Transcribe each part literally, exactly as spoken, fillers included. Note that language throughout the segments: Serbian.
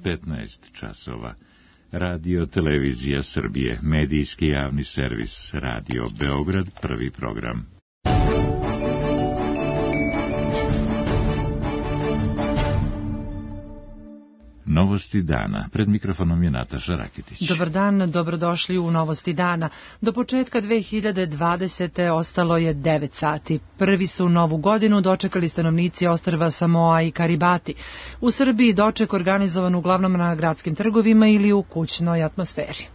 petnaest časova. Radio Televizija Srbije, medijski javni servis, Radio Beograd, prvi program. Novosti dana. Pred mikrofonom je Nataša Rakitić. Dobar dan, dobrodošli u Novosti dana. Do početka dve hiljade dvadesete. ostalo je devet sati. Prvi su novu godinu dočekali stanovnici ostrva Samoa i Karibati. U Srbiji doček organizovan uglavnom na gradskim trgovima ili u kućnoj atmosferi.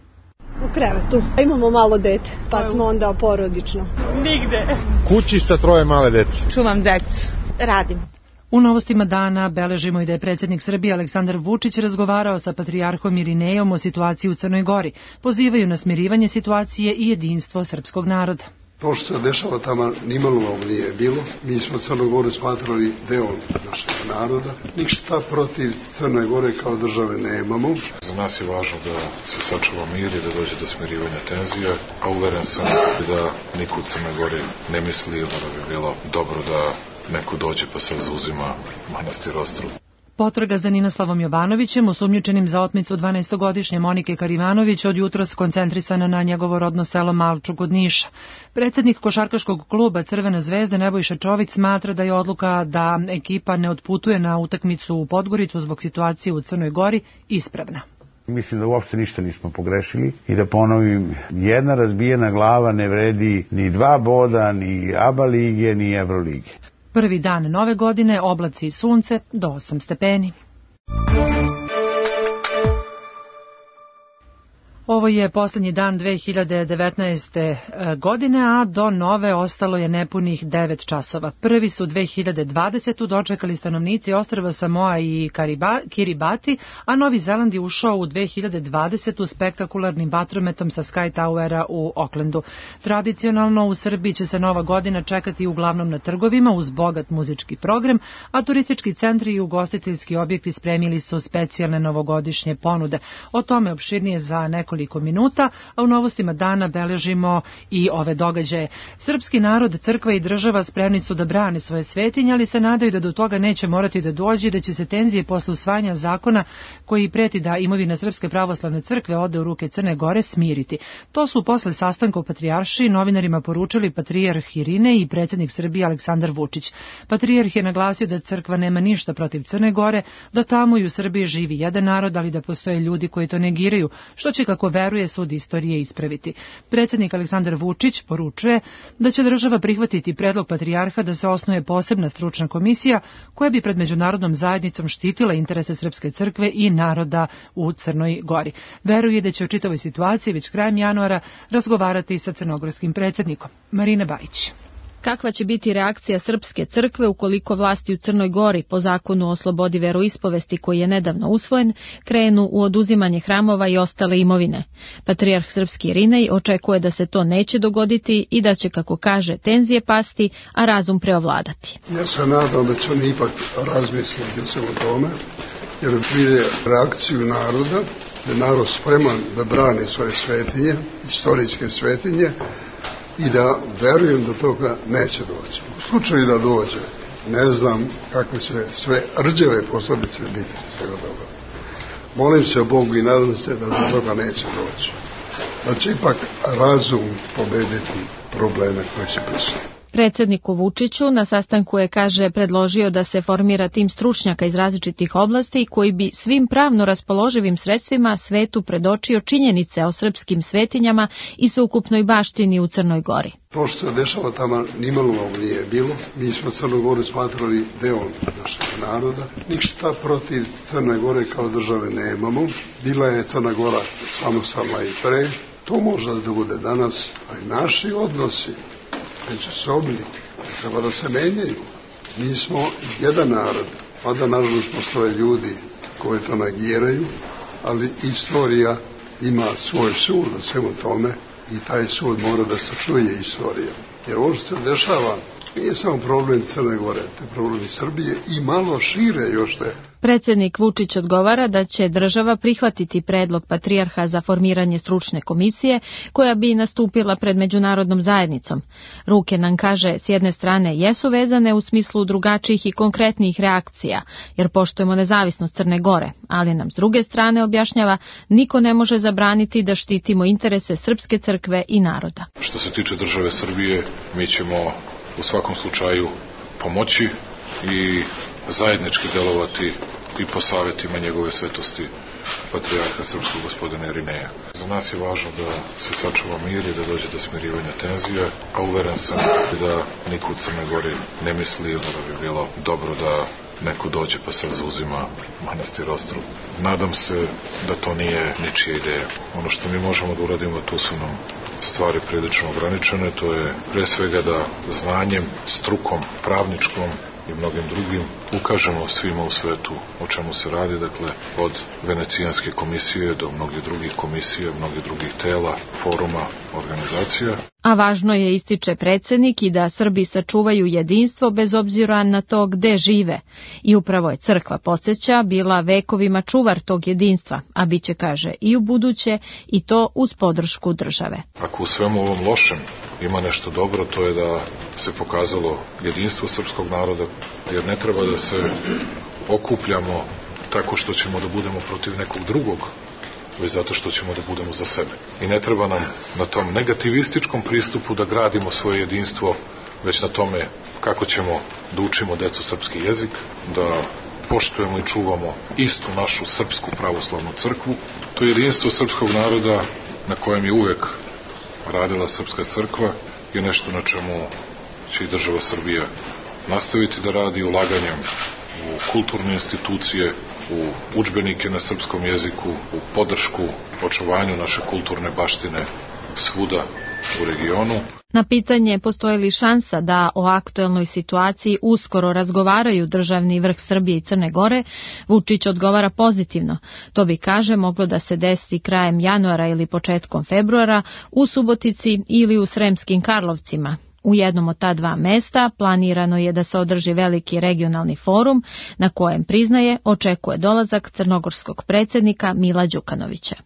U krevetu. Imamo malo dete, pa smo onda porodično. Nigde. Kući sa troje male dece. Čuvam decu. Radim. U Novostima dana beležimo i da je predsjednik Srbije Aleksandar Vučić razgovarao sa patrijarhom Irinejom o situaciji u Crnoj Gori. Pozivaju na smirivanje situacije i jedinstvo srpskog naroda. To što se dešava tamo nimalo ovo nije bilo. Mi smo Crnu Goru smatrali deo našeg naroda. Ništa protiv Crne Gore kao države nemamo. Za nas je važno da se sačuva mir i da dođe do smirivanja tenzija, a uveren sam da niko u Crnoj Gori ne misli da bi bilo dobro da neko dođe pa se zauzima manastir Ostrog. Potraga za Ninoslavom Jovanovićem, osumnjičenim za otmicu dvanaestogodišnje Monike Karivanović, od jutros koncentrisana na njegovo rodno selo Malču kod Niša. Predsjednik košarkaškog kluba Crvena zvezda Nebojša Čović smatra da je odluka da ekipa ne otputuje na utakmicu u Podgoricu zbog situacije u Crnoj Gori ispravna. Mislim da uopšte ništa nismo pogrešili i da ponovim, jedna razbijena glava ne vredi ni dva boda, ni ABA lige, ni Evrolige. Prvi dan nove godine, oblaci i sunce, do osam stepeni. Ovo je posljednji dan dve hiljade devetnaeste. godine, a do nove ostalo je nepunih devet časova. Prvi su dve hiljade dvadesete. dočekali stanovnici ostrva Samoa i Kiribati, a Novi Zeland je ušao u dve hiljade dvadesetu. spektakularnim vatrometom sa Sky Towera u Aucklandu. Tradicionalno u Srbiji će se nova godina čekati uglavnom na trgovima uz bogat muzički program, a turistički centri i ugostiteljski objekti spremili su specijalne novogodišnje ponude. O tome opširnije za nekoliko minuta, a u Novostima dana beležimo i ove događaje. Srpski narod, crkva i država spremni su da brane svoje svetinje, ali se nadaju da do toga neće morati da dođe i da će se tenzije posle usvajanja zakona koji preti da imovina Srpske pravoslavne crkve ode u ruke Crne Gore smiriti. To su posle sastanka u Patrijaršiji novinarima poručili patrijarh Irinej i predsjednik Srbije Aleksandar Vučić. Patrijarh je naglasio da crkva nema ništa protiv Crne Gore, da tamo i u Srbiji živi jedan narod, ali da postoje ljudi koji to negiraju, što će, kako veruje, sud istorije ispraviti. Predsjednik Aleksandar Vučić poručuje da će država prihvatiti predlog patrijarha da se osnuje posebna stručna komisija koja bi pred međunarodnom zajednicom štitila interese Srpske crkve i naroda u Crnoj Gori. Veruje da će o čitavoj situaciji već krajem januara razgovarati sa crnogorskim predsjednikom. Marina Bajić. Kakva će biti reakcija Srpske crkve ukoliko vlasti u Crnoj Gori po zakonu o slobodi veroispovesti koji je nedavno usvojen krenu u oduzimanje hramova i ostale imovine? Patrijarh srpski Irinej očekuje da se to neće dogoditi i da će, kako kaže, tenzije pasti, a razum preovladati. Ja se nadam da će oni ipak razmisliti o svemu tome, jer vide reakciju naroda, da je narod spreman da brani svoje svetinje, istorijske svetinje, i da verujem da toga neće doći. U slučaju da dođe, ne znam kakve će sve rđave posljedice biti svega toga. Molim se o Bogu i nadam se da do toga neće doći. Da će ipak razum pobediti probleme koje će prisutiti. Predsjedniku Vučiću na sastanku je, kaže, predložio da se formira tim stručnjaka iz različitih oblasti koji bi svim pravno raspoloživim sredstvima svetu predočio činjenice o srpskim svetinjama i sveukupnoj baštini u Crnoj Gori. To što se dešava tamo nimalo ovo nije bilo. Mi smo Crnu Goru smatrali deo našeg naroda. Ništa protiv Crne Gore kao države nemamo. Bila je Crna Gora samostalna i pre. To može da bude danas, a i naši odnosi međusobni treba da se menjaju. Mi smo jedan narod, pa da nažalost postoje ljudi koji to negiraju, ali istorija ima svoj sud o svemu tome i taj sud mora da se čuje istorija. Jer ovo što se dešava Nije samo problem Crne Gore, to je problem i Srbije i malo šire još te. Predsjednik Vučić odgovara da će država prihvatiti predlog patrijarha za formiranje stručne komisije koja bi nastupila pred međunarodnom zajednicom. Ruke, nam kaže, s jedne strane jesu vezane u smislu drugačijih i konkretnijih reakcija, jer poštujemo nezavisnost Crne Gore, ali nam s druge strane objašnjava niko ne može zabraniti da štitimo interese Srpske crkve i naroda. Što se tiče države Srbije, mi ćemo u svakom slučaju pomoći i zajednički delovati i po savjetima njegove svetosti patrijarha srpskog gospodina Irineja. Za nas je važno da se sačuva mir i da dođe do smirivanja tenzija, a uveren sam da niko u Crnoj Gori ne misli da bi bilo dobro da neko dođe pa sad zauzima manastir Ostrog. Nadam se da to nije ničija ideja. Ono što mi možemo da uradimo, tu su nam stvari prilično ograničene, to je pre svega da znanjem, strukom, pravničkom i mnogim drugim ukažemo svima u svetu o čemu se radi, dakle od Venecijanske komisije do mnogih drugih komisija, mnogih drugih tela, foruma, organizacija. A važno je, ističe predsjednik, i da Srbi sačuvaju jedinstvo bez obzira na to gde žive. I upravo je crkva, podsjeća, bila vekovima čuvar tog jedinstva, a bit će, kaže, i u buduće, i to uz podršku države. Ako u svemu ovom lošem ima nešto dobro, to je da se pokazalo jedinstvo srpskog naroda, jer ne treba da se okupljamo tako što ćemo da budemo protiv nekog drugog, već zato što ćemo da budemo za sebe. I ne treba nam na tom negativističkom pristupu da gradimo svoje jedinstvo, već na tome kako ćemo da učimo decu srpski jezik, da poštujemo i čuvamo istu našu srpsku pravoslavnu crkvu. To jedinstvo srpskog naroda na kojem je uvek radila srpska crkva je nešto na čemu će i država Srbija nastaviti da radi ulaganjem u kulturne institucije, u udžbenike na srpskom jeziku, u podršku očuvanju naše kulturne baštine svuda u regionu. Na pitanje postoji li šansa da o aktuelnoj situaciji uskoro razgovaraju državni vrh Srbije i Crne Gore, Vučić odgovara pozitivno. To bi, kaže, moglo da se desi krajem januara ili početkom februara u Subotici ili u Sremskim Karlovcima. U jednom od ta dva mesta planirano je da se održi veliki regionalni forum na kojem, priznaje, očekuje dolazak crnogorskog predsjednika Mila Đukanovića.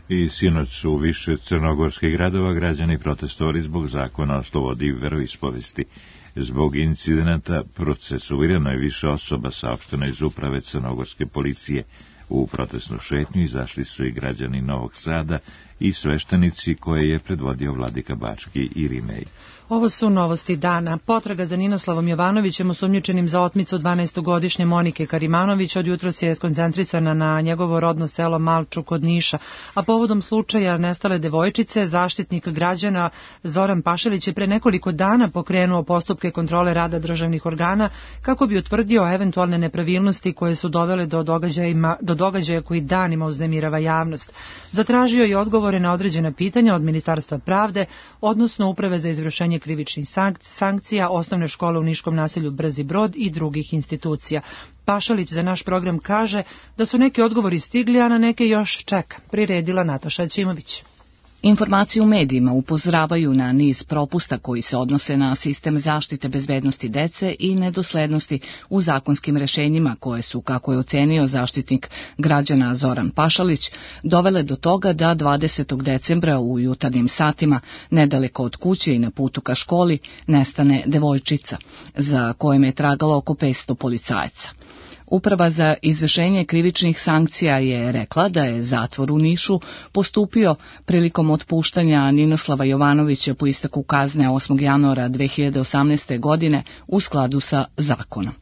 I sinoć u više crnogorskih gradova građani protestovali zbog zakona o slobodi veroispovesti. Zbog incidenata procesuirano je više osoba, saopšteno iz uprave crnogorske policije. U protestnu šetnju izašli su i građani Novog Sada i sveštenici koje je predvodio vladika Bački Irinej. Ovo su novosti dana. Potraga za Ninoslavom Jovanovićem, osumnjičenim za otmicu dvanaestogodišnje Monike Karimanović, od jutros je skoncentrisana na njegovo rodno selo Malču kod Niša, a povodom slučaja nestale devojčice, zaštitnik građana Zoran Pašalić je pre nekoliko dana pokrenuo postupke kontrole rada državnih organa kako bi utvrdio eventualne nepravilnosti koje su dovele do događaja, do događaja koji danima uznemirava javnost. Zatražio je odgovore na određena pitanja od Ministarstva pravde, odnosno Uprave za izvršenje krivičnih sankcija, osnovne škole u niškom naselju Brzi Brod i drugih institucija. Pašalić za naš program kaže da su neki odgovori stigli, a na neke još čeka. Priredila Nataša Ćimović. Informacije u medijima upozoravaju na niz propusta koji se odnose na sistem zaštite bezbednosti dece i nedoslednosti u zakonskim rešenjima koje su, kako je ocenio zaštitnik građana Zoran Pašalić, dovele do toga da dvadesetog decembra u jutarnjim satima, nedaleko od kuće i na putu ka školi, nestane devojčica, za kojom je tragalo oko petsto policajaca. Uprava za izvršenje krivičnih sankcija je rekla da je zatvor u Nišu postupio prilikom otpuštanja Ninoslava Jovanovića po isteku kazne osmog januara dve hiljade osamnaeste. godine u skladu sa zakonom.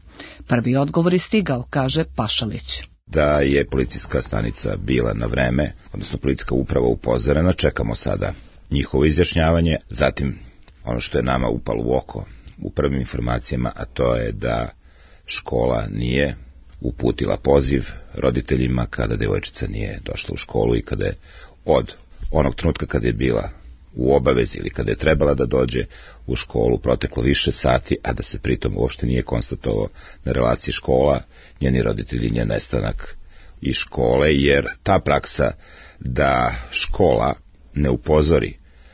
Prvi odgovor je stigao, kaže Pašalić. Da je policijska stanica bila na vreme, odnosno policijska uprava upozorena, čekamo sada njihovo izjašnjavanje, zatim ono što je nama upalo u oko u prvim informacijama, a to je da škola nije uputila poziv roditeljima kada devojčica nije došla u školu i kada je od onog trenutka kada je bila u obavezi ili kada je trebala da dođe u školu proteklo više sati, a da se pritom uopšte nije konstatovao na relaciji škola, njeni roditelji, njen nestanak iz škole, jer ta praksa da škola ne upozori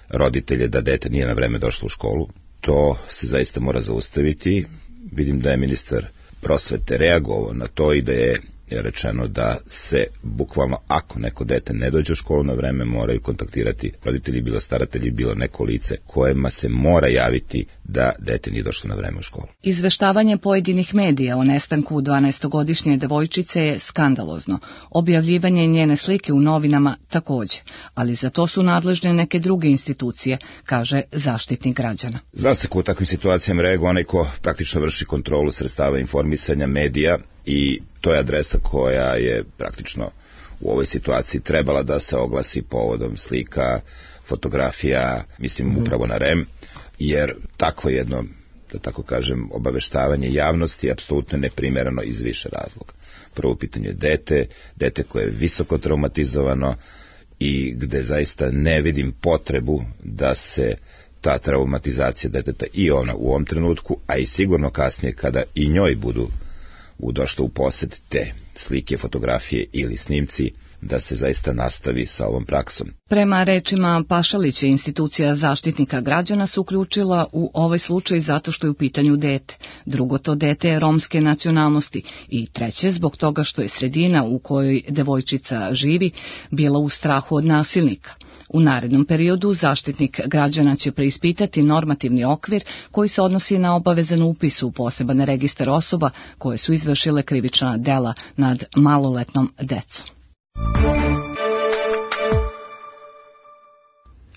roditelje da dete nije na vreme došlo u školu, to se zaista mora zaustaviti. Vidim da je ministar prosvete reagovao na to i da je je rečeno da se bukvalno ako neko dete ne dođe u školu na vreme moraju kontaktirati roditelji, bilo staratelji, bilo neko lice kojima se mora javiti da dete nije došlo na vreme u školu. Izveštavanje pojedinih medija o nestanku dvanaestogodišnje devojčice je skandalozno. Objavljivanje njene slike u novinama takođe, ali za to su nadležne neke druge institucije, kaže Zaštitnik građana. Zna se ko u takvim situacijama reaguje onaj ko praktično vrši kontrolu sredstava informisanja medija i to je adresa koja je praktično u ovoj situaciji trebala da se oglasi povodom slika, fotografija, mislim upravo na R E M, jer takvo jedno, da tako kažem, obaveštavanje javnosti je apsolutno neprimereno iz više razloga. Prvo pitanje je dete, dete koje je visoko traumatizovano i gde zaista ne vidim potrebu da se ta traumatizacija deteta i ona u ovom trenutku, a i sigurno kasnije kada i njoj budu u došlo u posed te slike, fotografije ili snimci, da se zaista nastavi sa ovom praksom. Prema rečima Pašalića, institucija Zaštitnika građana se uključila u ovaj slučaj zato što je u pitanju dete. Drugo, to dete je romske nacionalnosti i treće, zbog toga što je sredina u kojoj devojčica živi bila u strahu od nasilnika. U narednom periodu Zaštitnik građana će preispitati normativni okvir koji se odnosi na obavezan upis u poseban registar osoba koje su izvršile krivična dela nad maloletnom decom.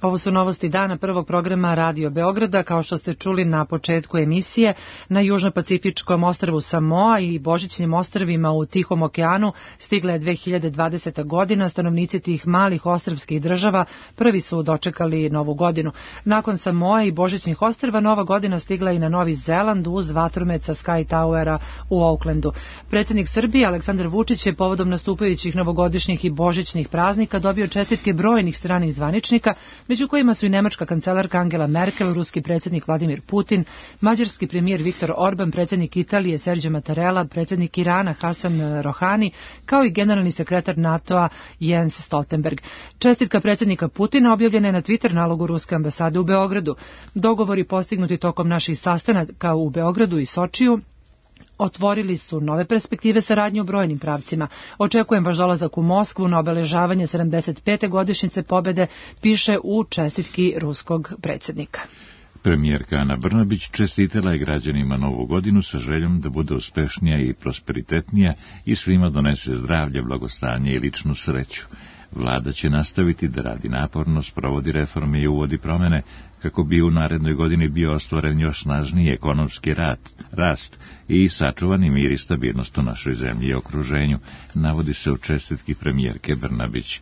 Ovo su novosti dana prvog programa Radio Beograda. Kao što ste čuli na početku emisije, na južno-pacifičkom ostrvu Samoa i božićnim ostrvima u Tihom okeanu stigla je dve hiljade dvadeseta godina. Stanovnici tih malih ostrvskih država prvi su dočekali novu godinu. Nakon Samoa i božićnih ostrva, nova godina stigla i na Novi Zeland uz vatromet sa Sky Towera u Aucklandu. Predsjednik Srbije Aleksandar Vučić je povodom nastupajućih novogodišnjih i božićnih praznika dobio čestitke brojnih stranih zvaničnika, među kojima su i nemačka kancelarka Angela Merkel, ruski predsjednik Vladimir Putin, mađarski premijer Viktor Orban, predsjednik Italije Sergio Mattarella, predsjednik Irana Hasan Rohani, kao i generalni sekretar NATO-a Jens Stoltenberg. Čestitka predsjednika Putina objavljena je na Twitter nalogu ruske ambasade u Beogradu. Dogovori postignuti tokom naših sastanaka u Beogradu i Sočiju otvorili su nove perspektive saradnje u brojnim pravcima. Očekujem vaš dolazak u Moskvu na obeležavanje sedamdeset pete godišnjice pobjede, piše u čestitki ruskog predsjednika. Premijerka Ana Brnabić čestitala je građanima novu godinu sa željom da bude uspešnija i prosperitetnija i svima donese zdravlje, blagostanje i ličnu sreću. Vlada će nastaviti da radi naporno, sprovodi reforme i uvodi promene kako bi u narednoj godini bio ostvaren još snažniji ekonomski rat, rast i sačuvani mir i stabilnost u našoj zemlji i okruženju, navodi se u čestitki premijerke Brnabić.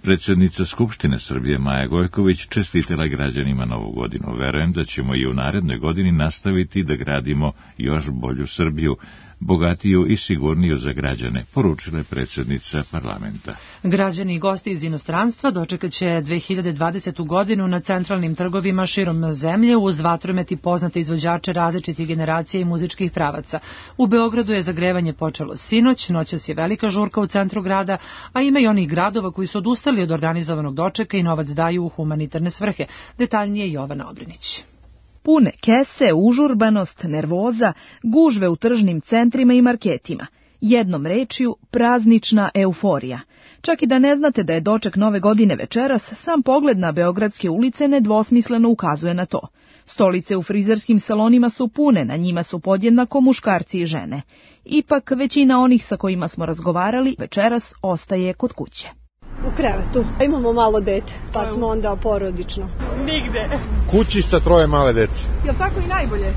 Predsjednica Skupštine Srbije Maja Gojković čestitala građanima novu godinu. Verujem da ćemo i u narednoj godini nastaviti da gradimo još bolju Srbiju, bogatiju i sigurniju za građane, poručila je predsjednica parlamenta. Građani i gosti iz inostranstva dočekat će dve hiljade dvadesetu godinu na centralnim trgovima širom zemlje uz vatromet i poznate izvođače različitih generacija i muzičkih pravaca. U Beogradu je zagrevanje počelo sinoć, noćas je velika žurka u centru grada, a ima i onih gradova koji su odustali od organizovanog dočeka i novac daju u humanitarne svrhe. Detaljnije Jovana Obrinić. Pune kese, užurbanost, nervoza, gužve u tržnim centrima i marketima. Jednom rečju, praznična euforija. Čak i da ne znate da je doček nove godine večeras, sam pogled na beogradske ulice nedvosmisleno ukazuje na to. Stolice u frizerskim salonima su pune, na njima su podjednako muškarci i žene. Ipak većina onih sa kojima smo razgovarali večeras ostaje kod kuće. U krevetu. Imamo malo dete, pa smo onda porodično. Nigde. Kući sa troje male dece. Jel tako i najbolje?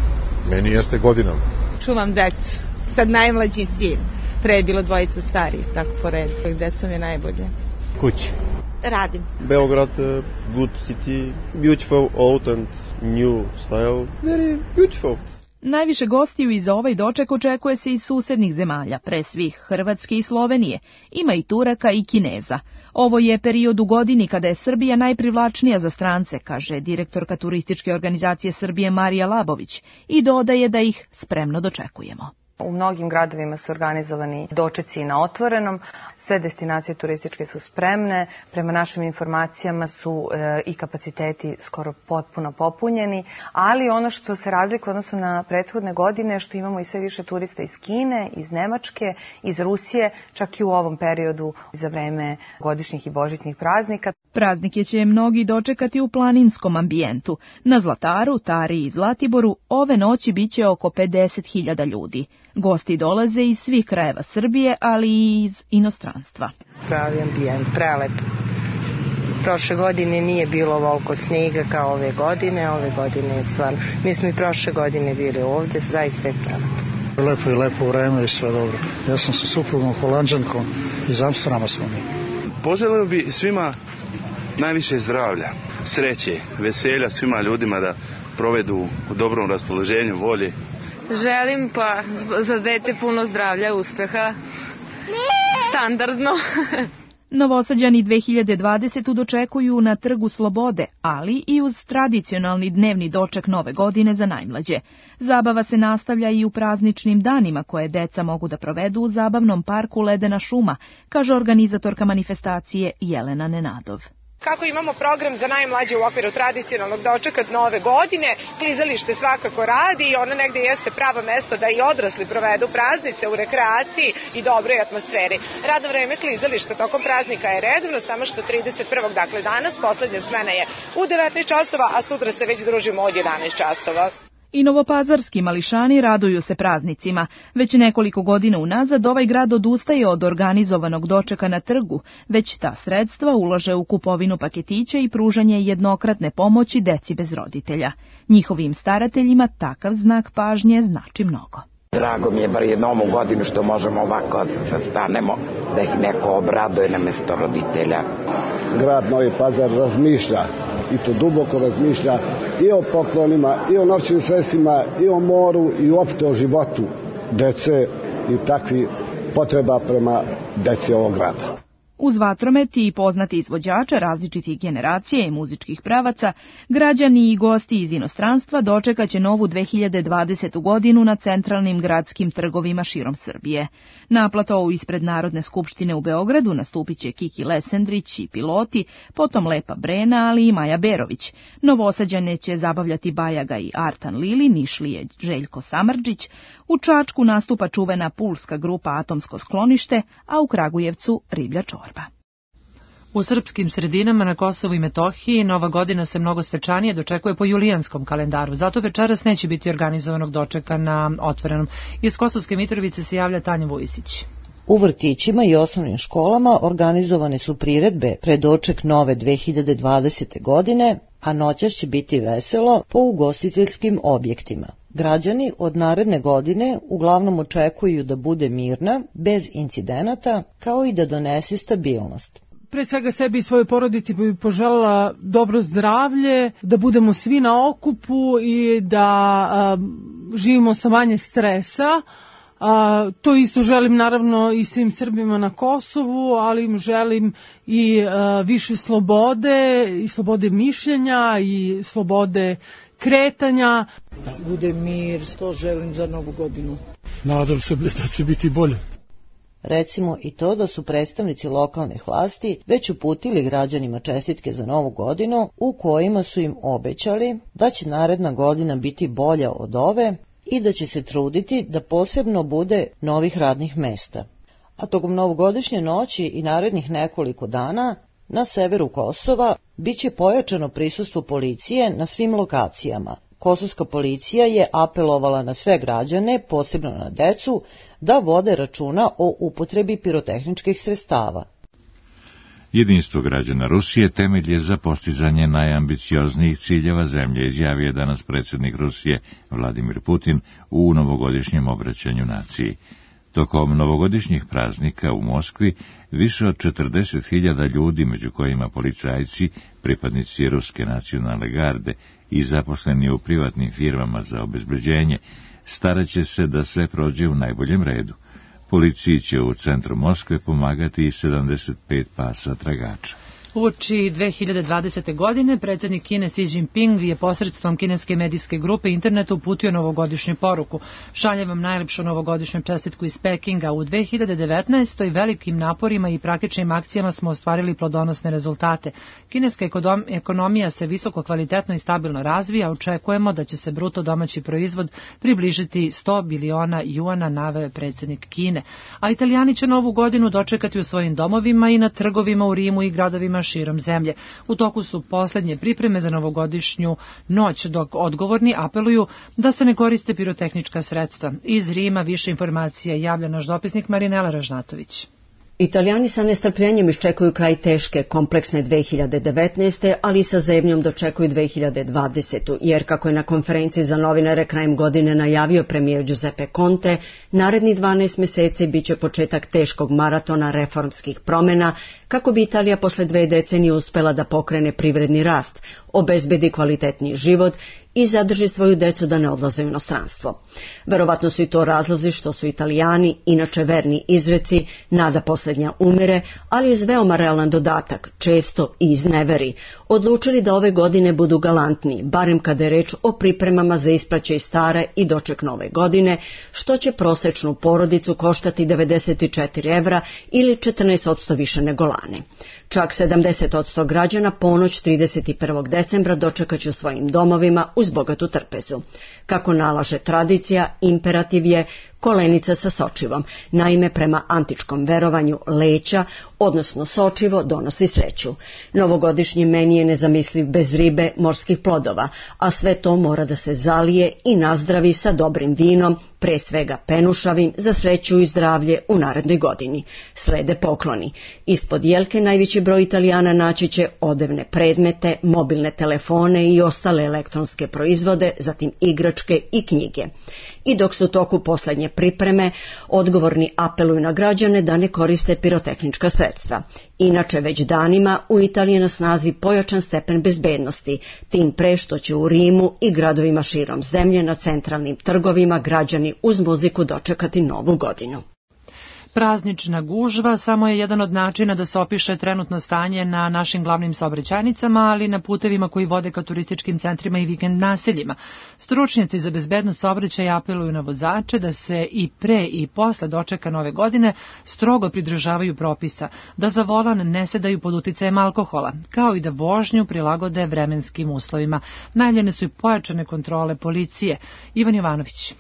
Meni jeste godinom. Čuvam decu. Sad najmlađi sin. Pre je bilo dvojica starih, tako po redu. Decom je najbolje. Kući. Radim. Beograd, uh, good city, beautiful, old and new style. Very beautiful. Najviše gostiju i za ovaj doček očekuje se iz susednih zemalja, pre svih Hrvatske i Slovenije. Ima i Turaka i Kineza. Ovo je period u godini kada je Srbija najprivlačnija za strance, kaže direktorka turističke organizacije Srbije Marija Labović, i dodaje da ih spremno dočekujemo. U mnogim gradovima su organizovani dočeci na otvorenom, sve destinacije turističke su spremne, prema našim informacijama su e, i kapaciteti skoro potpuno popunjeni, ali ono što se razlikuje odnosno na prethodne godine je što imamo i sve više turista iz Kine, iz Nemačke, iz Rusije, čak i u ovom periodu za vreme godišnjih i božićnih praznika. Praznike će mnogi dočekati u planinskom ambijentu. Na Zlataru, Tari i Zlatiboru ove noći biće oko pedeset hiljada ljudi. Gosti dolaze iz svih krajeva Srbije, ali i iz inostranstva. Pravi ambijent, prelep. Prošle godine nije bilo ovoliko snijega kao ove godine, ove godine je stvarno. Mi smo i prošle godine bili ovdje, zaista je prelep. Lepo i lepo vreme i sve dobro. Ja sam sa suprugom Holanđankom, iz Amsterdama smo mi. Poželio bi svima najviše zdravlja, sreće, veselja svima ljudima da provedu u dobrom raspoloženju, volji. Želim pa za dete puno zdravlja, uspeha, standardno. Novosađani dve hiljade dvadesete. dočekuju na Trgu Slobode, ali i uz tradicionalni dnevni doček Nove godine za najmlađe. Zabava se nastavlja i u prazničnim danima koje deca mogu da provedu u zabavnom parku Ledena šuma, kaže organizatorka manifestacije Jelena Nenadov. Kako imamo program za najmlađe u okviru tradicionalnog dočeka Nove godine, klizalište svakako radi i ono negde jeste pravo mesto da i odrasli provedu praznice u rekreaciji i dobroj atmosferi. Radno vreme klizališta tokom praznika je redovno, samo što trideset prvog dakle danas, poslednja smena je u devetnaest časova, a sutra se već družimo od jedanaest časova. I novopazarski mališani raduju se praznicima. Već nekoliko godina unazad ovaj grad odustaje od organizovanog dočeka na trgu, već ta sredstva ulaže u kupovinu paketića i pružanje jednokratne pomoći deci bez roditelja. Njihovim starateljima takav znak pažnje znači mnogo. Drago mi je bar jednom ovu godinu što možemo ovako se sastanemo, da ih neko obraduje na mesto roditelja. Grad Novi Pazar razmišlja, i to duboko razmišlja, i o poklonima, i o novčanim sredstvima, i o moru, i uopšte o životu dece i takvi potreba prema deci ovog grada. Uz vatromet i poznati izvođača različitih generacija i muzičkih pravaca, građani i gosti iz inostranstva dočekaće novu dve hiljade dvadesete. godinu na centralnim gradskim trgovima širom Srbije. Na platovu ispred Narodne skupštine u Beogradu nastupit će Kiki Lesendrić i Piloti, potom Lepa Brena, ali i Maja Berović. Novosađane će zabavljati Bajaga i Artan Lili, Nišlije Željko Samardžić, u Čačku nastupa čuvena pulska grupa Atomsko sklonište, a u Kragujevcu Riblja čorba. U srpskim sredinama na Kosovu i Metohiji Nova godina se mnogo svečanije dočekuje po julijanskom kalendaru, zato večeras neće biti organizovanog dočeka na otvorenom. Iz Kosovske Mitrovice se javlja Tanja Vujisić. U vrtićima i osnovnim školama organizovane su priredbe pred doček nove dve hiljade dvadesete. godine, a noćas će biti veselo po ugostiteljskim objektima. Građani od naredne godine uglavnom očekuju da bude mirna, bez incidenata, kao i da donese stabilnost. Pre svega sebi i svojoj porodici bi poželjela dobro zdravlje, da budemo svi na okupu i da a, živimo sa manje stresa. A, to isto želim naravno i svim Srbima na Kosovu, ali im želim i a, više slobode, i slobode mišljenja, i slobode kretanja. Da bude mir, to želim za Novu godinu. Nadam se da će biti bolje. Recimo i to da su predstavnici lokalnih vlasti već uputili građanima čestitke za Novu godinu u kojima su im obećali da će naredna godina biti bolja od ove i da će se truditi da posebno bude novih radnih mesta. A tokom novogodišnje noći i narednih nekoliko dana na severu Kosova biće pojačano prisustvo policije na svim lokacijama. Kosovska policija je apelovala na sve građane, posebno na decu, da vode računa o upotrebi pirotehničkih sredstava. Jedinstvo građana Rusije temelj je za postizanje najambicioznijih ciljeva zemlje, izjavio je danas predsjednik Rusije Vladimir Putin u novogodišnjem obraćanju naciji. Tokom novogodišnjih praznika u Moskvi više od četrdeset hiljada ljudi, među kojima policajci, pripadnici Ruske nacionalne garde i zaposleni u privatnim firmama za obezbeđenje, staraće se da sve prođe u najboljem redu. Policiji će u centru Moskve pomagati i sedamdeset pet pasa tragača. Uoči dve hiljade dvadesete. godine predsjednik Kine Xi Jinping je posredstvom kineske medijske grupe internetu uputio novogodišnju poruku. Šaljem vam najlepšu novogodišnju čestitku iz Pekinga. U dve hiljade devetnaestoj. velikim naporima i praktičnim akcijama smo ostvarili plodonosne rezultate. Kineska ekonomija se visoko kvalitetno i stabilno razvija, očekujemo da će se bruto domaći proizvod približiti sto biliona juana, naveo je predsjednik Kine. A Italijani će novu godinu dočekati u svojim domovima i na trgovima u Rimu i gradovima širom zemlje. U toku su posljednje pripreme za novogodišnju noć, dok odgovorni apeluju da se ne koriste pirotehnička sredstva. Iz Rima više informacija javlja naš dopisnik Marinela Ražnatović. Italijani sa nestrpljenjem iščekuju kraj teške, kompleksne dve hiljade devetnaeste. ali i sa zebnjom dočekuju dve hiljade dvadesete. jer kako je na konferenciji za novinare krajem godine najavio premijer Giuseppe Conte, naredni dvanaest mjeseci bit će početak teškog maratona reformskih promjena kako bi Italija posle dve decenije uspela da pokrene privredni rast, obezbedi kvalitetniji život i zadrži svoju decu da ne odlaze u inostranstvo. Verovatno su i to razlozi što su Italijani, inače verni izreci, nada posljednja umire, ali uz veoma realan dodatak, često i iz neveri, odlučili da ove godine budu galantniji, barem kada je reč o pripremama za ispraćaj stare i doček nove godine, što će prosečnu porodicu koštati devedeset četiri evra ili četrnaest posto više nego lane. Čak sedamdeset posto građana ponoć trideset prvog decembra dočekat će u svojim domovima uz bogatu trpezu. Kako nalaže tradicija, imperativ je kolenica sa sočivom. Naime, prema antičkom verovanju leća, odnosno sočivo, donosi sreću. Novogodišnji meni je nezamisliv bez ribe, morskih plodova, a sve to mora da se zalije i nazdravi sa dobrim vinom, pre svega penušavim, za sreću i zdravlje u narednoj godini. Slede pokloni. Ispod jelke najveći broj Italijana naći će odevne predmete, mobilne telefone i ostale elektronske proizvode, zatim igračke i knjige. I dok su u toku posljednje pripreme, odgovorni apeluju na građane da ne koriste pirotehnička sredstva. Inače, već danima u Italiji je na snazi pojačan stepen bezbednosti, tim pre što će u Rimu i gradovima širom zemlje na centralnim trgovima građani uz muziku dočekati novu godinu. Praznična gužva samo je jedan od načina da se opiše trenutno stanje na našim glavnim saobraćajnicama, ali i na putevima koji vode ka turističkim centrima i vikend naseljima. Stručnjaci za bezbednost saobraćaja apeluju na vozače da se i pre i posle dočeka nove godine strogo pridržavaju propisa, da za volan ne sedaju pod uticajem alkohola, kao i da vožnju prilagode vremenskim uslovima. Najavljene su i pojačane kontrole policije. Ivan Jovanović.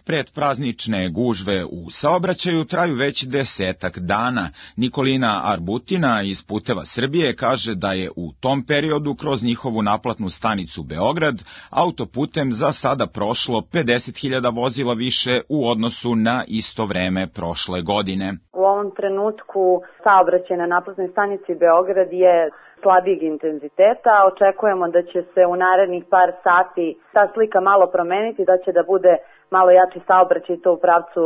Predpraznične gužve u saobraćaju traju već desetak dana. Nikolina Arbutina iz Puteva Srbije kaže da je u tom periodu kroz njihovu naplatnu stanicu Beograd autoputem za sada prošlo pedeset hiljada vozila više u odnosu na isto vreme prošle godine. U ovom trenutku saobraćaj na naplatnoj stanici Beograd je slabijeg intenziteta. Očekujemo da će se u narednih par sati ta slika malo promeniti, da će da bude malo jači saobraćaj to u pravcu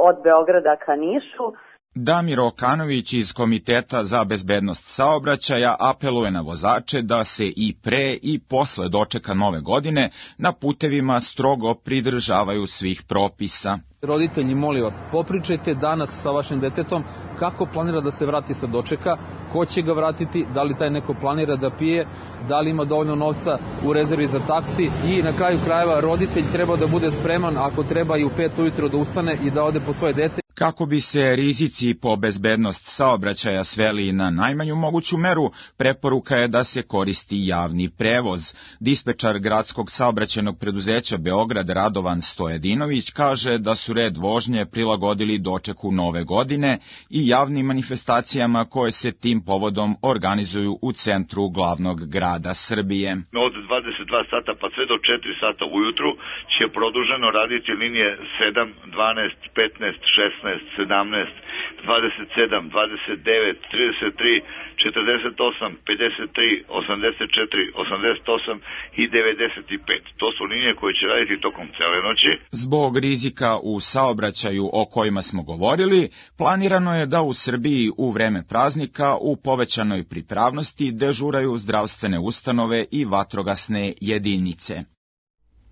od Beograda ka Nišu. Damir Okanović iz Komiteta za bezbednost saobraćaja apeluje na vozače da se i pre i posle dočeka nove godine na putevima strogo pridržavaju svih propisa. Roditelji, molim vas, popričajte danas sa vašim detetom kako planira da se vrati sa dočeka, ko će ga vratiti, da li taj neko planira da pije, da li ima dovoljno novca u rezervi za taksi i na kraju krajeva roditelj treba da bude spreman ako treba i u pet ujutro da ustane i da ode po svoje dete. Kako bi se rizici po bezbednost saobraćaja sveli na najmanju moguću meru, preporuka je da se koristi javni prevoz. Dispečar gradskog saobraćajnog preduzeća Beograd Radovan Stojedinović kaže da su red vožnje prilagodili dočeku nove godine i javnim manifestacijama koje se tim povodom organizuju u centru glavnog grada Srbije. Od dvadeset dva sata pa sve do četiri sata ujutru će produženo raditi linije sedam, dvanaest, petnaest, šesnaest, sedamnaest, dvadeset sedam, dvadeset devet, trideset tri, četrdeset osam, pedeset tri, osamdeset četiri, osamdeset osam i devedeset pet. To su linije koje će raditi tokom cele noći. Zbog rizika u saobraćaju o kojima smo govorili, planirano je da u Srbiji u vreme praznika u povećanoj pripravnosti dežuraju zdravstvene ustanove i vatrogasne jedinice.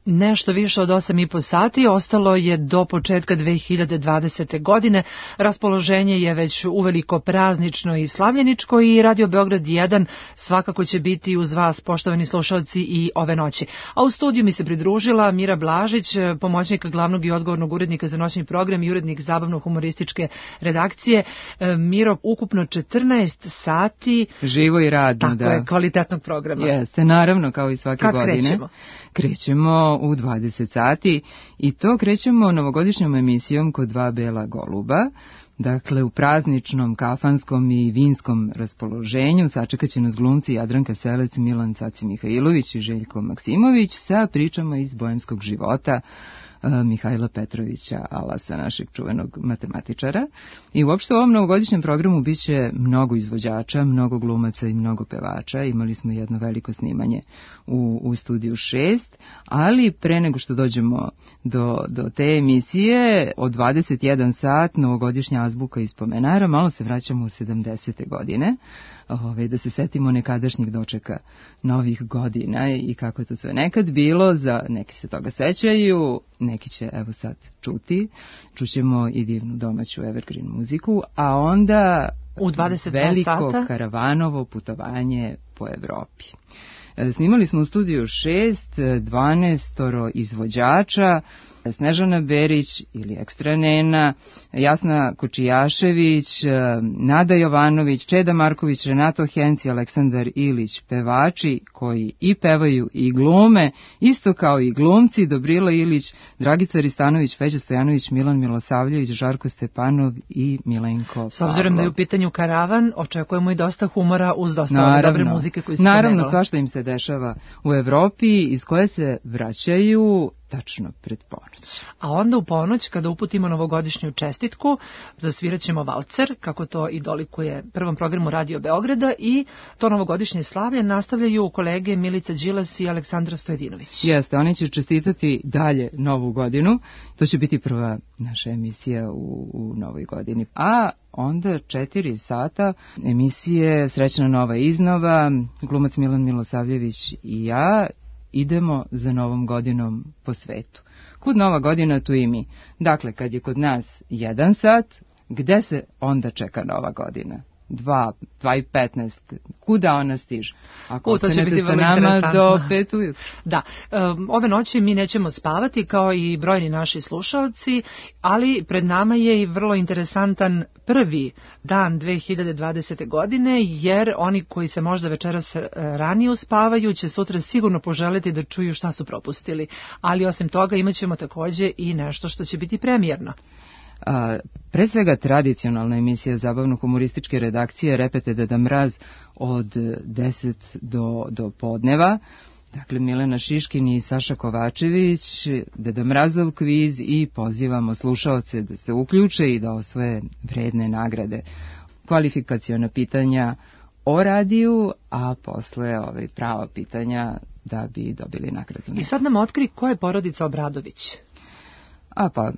nešto više od osam i po sati, ostalo je do početka dve hiljade dvadesete. godine. Raspoloženje je već uveliko praznično i slavljeničko i Radio Beograd jedan svakako će biti uz vas, poštovani slušalci, i ove noći. A u studiju mi se pridružila Mira Blažić, pomoćnika glavnog i odgovornog urednika za noćni program i urednik zabavno-humorističke redakcije. Miro, ukupno četrnaest sati. Živo i radno, tako da. je, kvalitetnog programa. Jeste, naravno, kao i svake Kad godine. krećemo? Krećemo u dvadeset sati i to krećemo novogodišnjom emisijom Kod dva bela goluba. Dakle, u prazničnom, kafanskom i vinskom raspoloženju sačekat će nas glumci Jadranka Selec, Milan Caci Mihajlović i Željko Maksimović sa pričama iz bojemskog života Mihajla Petrovića Alasa, našeg čuvenog matematičara. I uopšte u ovom novogodišnjem programu bit će mnogo izvođača, mnogo glumaca i mnogo pevača. Imali smo jedno veliko snimanje u, u studiju šest, ali pre nego što dođemo do, do te emisije, od dvadeset jedan sat, novogodišnja azbuka iz Pomenara, malo se vraćamo u sedamdesete. godine, ove, da se setimo nekadašnjih dočeka novih godina i kako je to sve nekad bilo. Za neki se toga sećaju, neki će evo sad čuti. Čućemo i divnu domaću evergreen muziku, a onda u dvadeset veliko sata karavanovo putovanje po Evropi. Snimali smo u studiju šest, dvanaestoro izvođača, Snežana Berić ili Ekstra Nena, Jasna Kočijašević, Nada Jovanović, Čeda Marković, Renato Henci, Aleksandar Ilić, pevači koji i pevaju i glume, isto kao i glumci, Dobrila Ilić, Dragica Ristanović, Feđa Stojanović, Milan Milosavljević, Žarko Stepanov i Milenko Pavlov. S obzirom da je u pitanju karavan, očekujemo i dosta humora uz dosta ove dobre muzike koju se Naravno, pomenula. svašta im se dešava u Evropi, iz koje se vraćaju tačno pred ponoć. A onda u ponoć, kada uputimo novogodišnju čestitku, zasvirat ćemo valcer, kako to i dolikuje prvom programu Radio Beograda, i to novogodišnje slavlje nastavljaju kolege Milica Đilas i Aleksandra Stojedinović. Jeste, oni će čestitati dalje novu godinu. To će biti prva naša emisija u, u novoj godini. A onda četiri sata emisije Srećna nova iznova, glumac Milan Milosavljević i ja idemo za novom godinom po svetu. Kud nova godina, tu i mi. Dakle, kad je kod nas jedan sat, gde se onda čeka nova godina? Dva, dva i petnaest. Kuda ona stiže? Ako ostanete sa nama do pet ujutru. Da, um, ove noći mi nećemo spavati kao i brojni naši slušalci, ali pred nama je i vrlo interesantan prvi dan dve hiljade dvadesete. godine, jer oni koji se možda večeras ranije uspavaju će sutra sigurno poželiti da čuju šta su propustili. Ali osim toga imat ćemo takođe i nešto što će biti premijerno. A, pre svega tradicionalna emisija zabavno-humorističke redakcije Repete Deda Mraz od deset do, do podneva. Dakle, Milena Šiškin i Saša Kovačević, Deda Mrazov kviz, i pozivamo slušaoce da se uključe i da osvoje vredne nagrade. Kvalifikaciona pitanja o radiju, a posle ove prava pitanja da bi dobili nagradu. I sad nam otkri ko je porodica Obradović. A pa,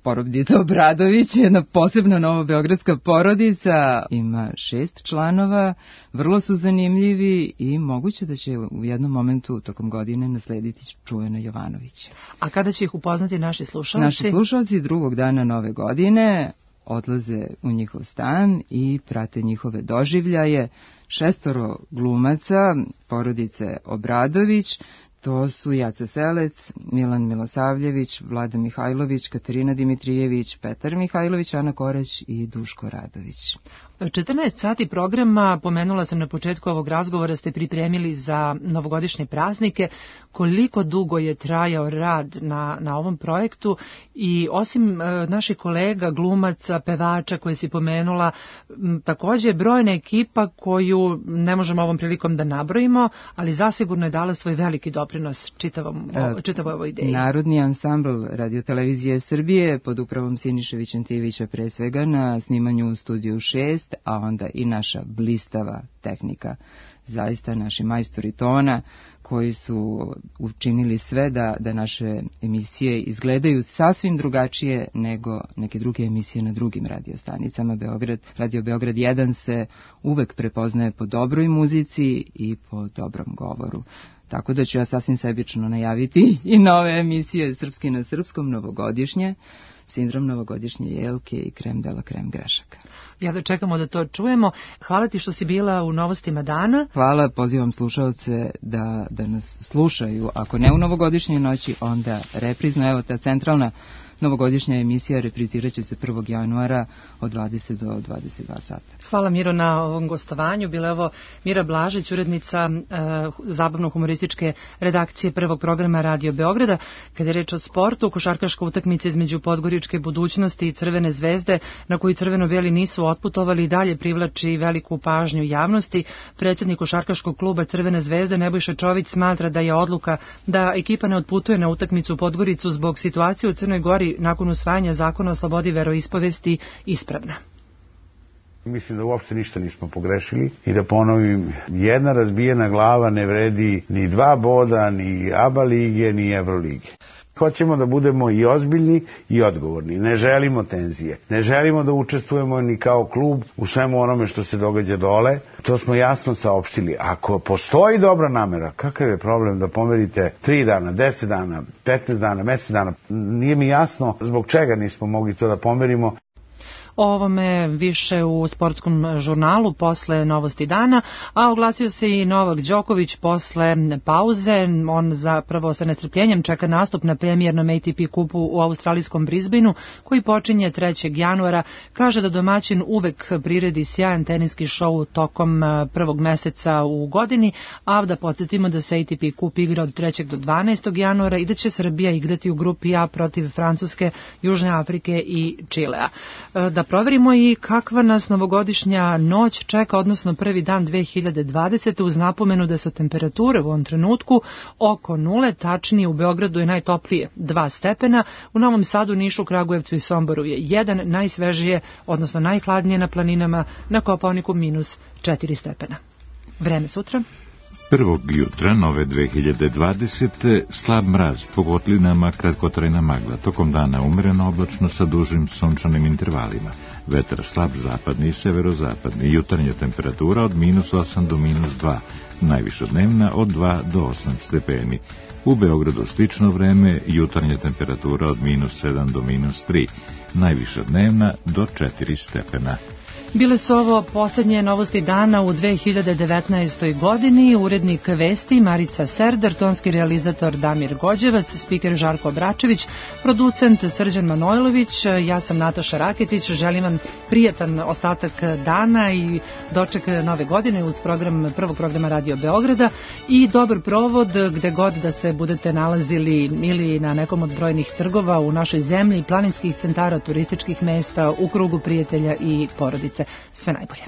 porodica Obradović je jedna posebna novobeogradska porodica, ima šest članova, vrlo su zanimljivi i moguće da će u jednom momentu tokom godine naslediti čuvena Jovanovića. A kada će ih upoznati naši slušalci? Naši slušalci drugog dana nove godine odlaze u njihov stan i prate njihove doživljaje. Šestoro glumaca porodice Obradović, to su Jaca Selec, Milan Milosavljević, Vlada Mihajlović, Katarina Dimitrijević, Petar Mihajlović, Ana Korać i Duško Radović. četrnaest sati programa, pomenula sam na početku ovog razgovora, ste pripremili za novogodišnje praznike. Koliko dugo je trajao rad na, na ovom projektu i osim e, naših kolega, glumaca, pevača koje si pomenula, m, takođe brojna ekipa koju ne možemo ovom prilikom da nabrojimo, ali zasigurno je dala svoj veliki doprinos čitavom, o, čitavoj ovoj ideji. Narodni ansambl Radiotelevizije Srbije pod upravom Siniše Vićentijevića pre svega na snimanju u studiju šest, a onda i naša blistava tehnika, zaista naši majstori tona koji su učinili sve da, da naše emisije izgledaju sasvim drugačije nego neke druge emisije na drugim radiostanicama. Beograd, Radio Beograd jedan se uvek prepoznaje po dobroj muzici i po dobrom govoru. tako da ću ja sasvim sebično najaviti i nove emisije Srpski na srpskom, novogodišnje, Sindrom novogodišnje jelke i Krem de la krem grešaka. Ja da čekamo da to čujemo. Hvala ti što si bila u Novostima dana. Hvala, pozivam slušaoce da, da nas slušaju. Ako ne u novogodišnjoj noći, onda reprizno. Evo ta centralna novogodišnja emisija reprizirat će se prvog januara od dvadeset do dvadeset dva sata. Hvala Miro na ovom gostovanju. Bila je ovo Mira Blažić, urednica e, zabavno-humorističke redakcije prvog programa Radio Beograda. Kada je reč o sportu, košarkaška utakmica između Podgoričke budućnosti i Crvene zvezde, na koju crveno-beli nisu otputovali, i dalje privlači veliku pažnju javnosti. Predsjednik košarkaškog kluba Crvene zvezde Nebojša Čović smatra da je odluka da ekipa ne otputuje na utakmicu u Podgoricu zbog situacije u Crnoj Gori nakon usvajanja zakona o slobodi veroispovesti ispravna. Mislim da uopšte ništa nismo pogrešili i da ponovim, jedna razbijena glava ne vredi ni dva boda, ni ABA lige, ni Evrolige. Hoćemo da budemo i ozbiljni i odgovorni. Ne želimo tenzije. Ne želimo da učestvujemo ni kao klub u svemu onome što se događa dole. To smo jasno saopštili. Ako postoji dobra namera, kakav je problem da pomerite tri dana, deset dana, petnaest dana, mesec dana? Nije mi jasno zbog čega nismo mogli to da pomerimo. O ovome više u sportskom žurnalu posle Novosti dana, a oglasio se i Novak Đoković posle pauze. On zapravo sa nestrpljenjem čeka nastup na premijernom A T P kupu u australijskom Brisbaneu, koji počinje trećeg januara. Kaže da domaćin uvek priredi sjajan teniski šou tokom prvog meseca u godini, a da podsjetimo da se A T P kup igra od trećeg do dvanaestog januara i da će Srbija igrati u grupi A protiv Francuske, Južne Afrike i Čilea. Da proverimo i kakva nas novogodišnja noć čeka, odnosno prvi dan dve hiljade dvadesete. uz napomenu da su temperature u ovom trenutku oko nule, tačnije u Beogradu je najtoplije dva stepena, u Novom Sadu, Nišu, Kragujevcu i Somboru je jedan, najsvežije, odnosno najhladnije na planinama, na Kopaoniku minus četiri stepena. Vreme sutra. Prvog jutra nove dve hiljade dvadesete. slab mraz, po kotlinama kratkotrajna magla, tokom dana umereno oblačno sa dužim sunčanim intervalima. Vetar slab zapadni i severozapadni, jutarnja temperatura od minus osam do minus dva, najviša dnevna od dva do osam stepeni. U Beogradu slično vreme, jutarnja temperatura od minus sedam do minus tri, najviša dnevna do četiri stepena. Bile su ovo posljednje Novosti dana u dve hiljade devetnaestoj. godini. Urednik vesti Marica Serdar, tonski realizator Damir Gođevac, spiker Žarko Bračević, producent Srđan Manojlović, ja sam Nataša Raketić. Želim vam prijatan ostatak dana i doček nove godine uz program prvog programa Radio Beograda i dobar provod gde god da se budete nalazili, ili na nekom od brojnih trgova u našoj zemlji, planinskih centara, turističkih mesta, u krugu prijatelja i porodice. Sve najbolje.